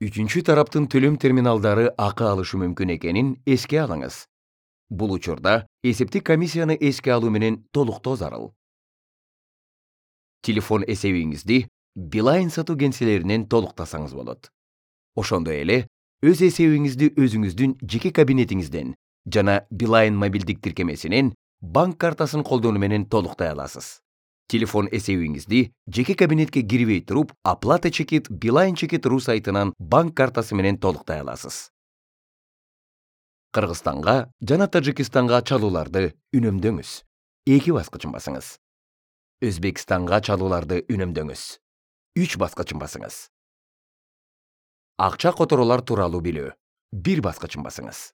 Үчүнчү тараптын төлөм терминалдары акы алышы мүмкүн экенин эске алыңыз. Бул учурда эсептик комиссияны эске алуу менен толуктоо зарыл. Телефон эсебиңизди Билайн сатуу кеңселеринен толуктасаңыз болот. Ошондой эле өз эсебиңизди өзүңүздүн жеке кабинетиңизден жана Билайн мобилдик тиркемесинен банк картасын колдонуу менен толуктай аласыз. Телефон эсебиңизди жеке кабинетке кирбей туруп, оплата чекит Билайн Чекит.ру сайтынан банк картасы менен толуктай аласыз. Кыргызстанга жана Тажикстанга чалууларды үнөмдөңүз. 2 баскычын басыңыз. Өзбекстанга чалууларды үнөмдөңүз. 3 баскычын басыңыз. Акча которуулар тууралуу билүү. 1 баскычын басыңыз.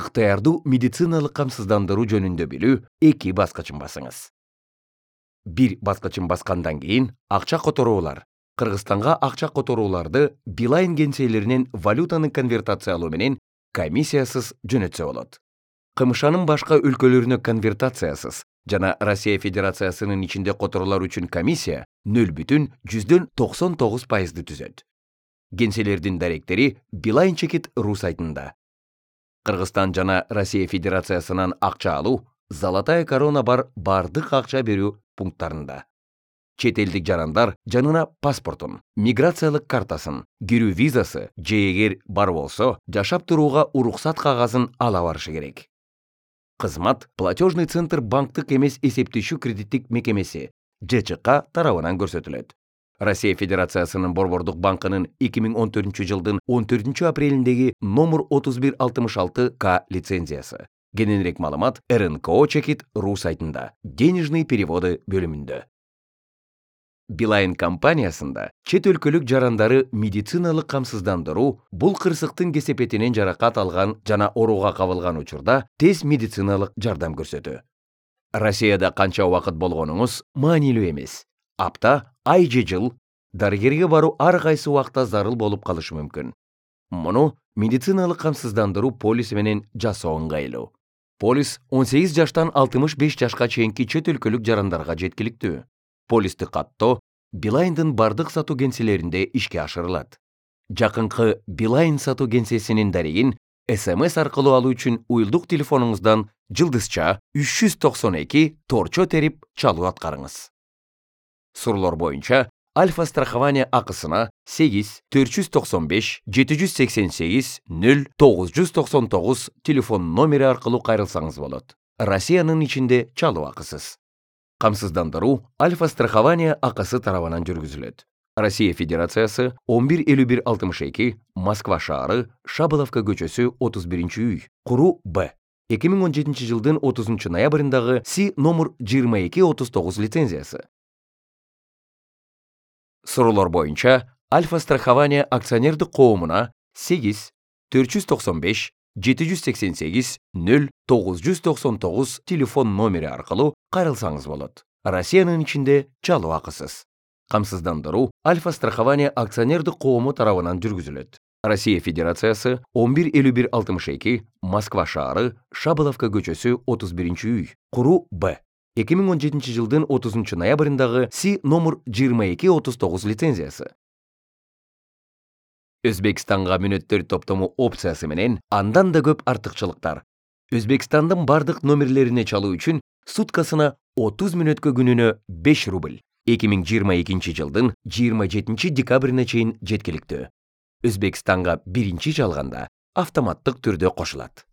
Ыктыярдуу медициналык камсыздандыруу жөнүндө билүү. 2 баскычын басыңыз. 1 баскычын баскандан кийин акча которуулар. Кыргызстанга акча которууларды Билайн кеңселеринен валютаны конвертациялоо менен комиссиясыз жөнөтсө болот. КМШнын башка өлкөлөрүнө конвертациясыз жана Россия Федерациясынын ичинде которуулар үчүн комиссия 0,99% түзөт. Кеңселердин даректери Билайн Чекит.ру сайтында. Кыргызстан жана Россия Федерациясынан акча алуу Золотая корона бар бардык акча берүү пункттарында. Чет элдик жарандар жанына паспортун, миграциялык картасын, кирүү визасы же эгер бар болсо, жашап турууга уруксат кагазын ала барышы керек. Кызмат платежный центр банктык эмес эсептешүү кредиттик мекемеси ЖЧК тарабынан көрсөтүлөт. Россия Федерациясынын Борбордук банкынын 2014 жылдын 14 апрелиндеги номер 3166К лицензиясы. Кененирээк маалымат РНКО Чекит.ру сайтында, денежный переводы бөлүмүндө. Билайн компаниясында чет өлкөлүк жарандары медициналык камсыздандыруу бул кырсыктын кесепетинен жаракат алган жана орууга кабылган учурда тез медициналык жардам көрсөтүү. Россияда канча убакыт болгонуңуз маанилүү эмес. Апта, ай же жыл дарыгерге баруу ар кайсы убакта зарыл болуп калышы мүмкүн. Муну медициналык камсыздандыруу полиси менен жасоо ыңгайлуу. Полис 18 жаштан 65 жашка чейинки чет өлкөлүк жарандарга жеткиликтүү. Полисти каттоо Билайндын бардык сатуу кеңселеринде ишке ашырылат. Жакынкы Билайн сатуу кеңсесинин дарегин СМС аркылуу алуу үчүн уюлдук телефонуңуздан жылдызча 392 торчо терип чалуу аткарыңыз. Суроолор боюнча Альфа страхование акысына 8 495 788 0999 телефон номери аркылуу кайрылсаңыз болот. Россиянын ичинде чалуу акысыз. Камсыздандыруу Альфа страхование акысы тарабынан жүргүзүлөт. Россия Федерациясы 115162 Москва шаары, Шабыловка көчөсү 31-үй, Куру Б. 2017 жылдын 30 ноябрындагы Си номер 2239 лицензиясы. Суроолор боюнча Альфа страхование акционердик коомуна 8 495 788 0999 телефон номери аркылуу кайрылсаңыз болот. Россиянын ичинде чалуу акысыз. Камсыздандыруу Альфа страхование акционердик коому тарабынан жүргүзүлөт. Россия Федерациясы 115162 Москва шаары, Шабыловка көчөсү 31-үй, Куру Б. 2017 жылдын 30 ноябрындагы Си номер 2239 лицензиясы. Өзбекстанга мүнөттөр топтому опциясы менен андан да көп артыкчылыктар. Өзбекстандын бардык номерлерине чалуу үчүн суткасына 30 мүнөткө күнүнө 5 рубль. 2022 жылдын 27 декабрине чейин жеткиликтүү. Өзбекстанга биринчи жалганда автоматтык түрдө кошулат.